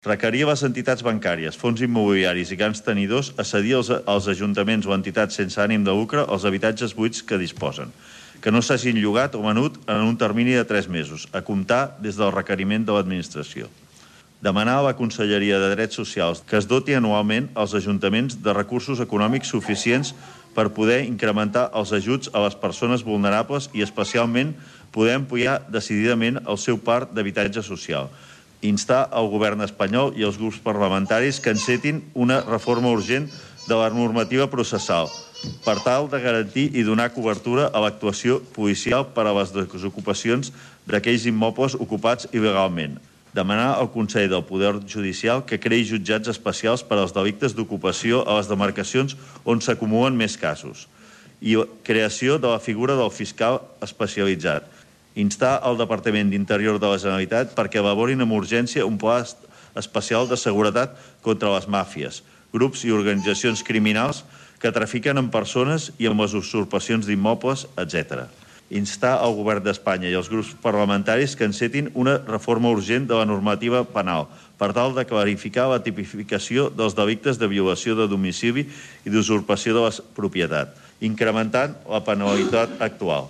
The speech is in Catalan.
Requerir les entitats bancàries, fons immobiliaris i grans tenidors a cedir als ajuntaments o entitats sense ànim de lucre els habitatges buits que disposen, que no s'hagin llogat o venut en un termini de 3 mesos, a comptar des del requeriment de l'Administració. Demanar a la Conselleria de Drets Socials que es doti anualment als ajuntaments de recursos econòmics suficients per poder incrementar els ajuts a les persones vulnerables i especialment poder ampliar decididament el seu parc d'habitatge social. Instar el govern espanyol i els grups parlamentaris que encetin una reforma urgent de la normativa processal per tal de garantir i donar cobertura a l'actuació policial per a les desocupacions d'aquells immobles ocupats il·legalment. Demanar al Consell del Poder Judicial que creï jutjats especials per als delictes d'ocupació a les demarcacions on s'acumulen més casos i creació de la figura del fiscal especialitzat. Instar el Departament d'Interior de la Generalitat perquè elaborin amb urgència un pla especial de seguretat contra les màfies, grups i organitzacions criminals que trafiquen amb persones i amb les usurpacions d'immobles, etc. Instar el govern d'Espanya i els grups parlamentaris que encetin una reforma urgent de la normativa penal per tal de clarificar la tipificació dels delictes de violació de domicili i d'usurpació de la propietat, incrementant la penalitat actual.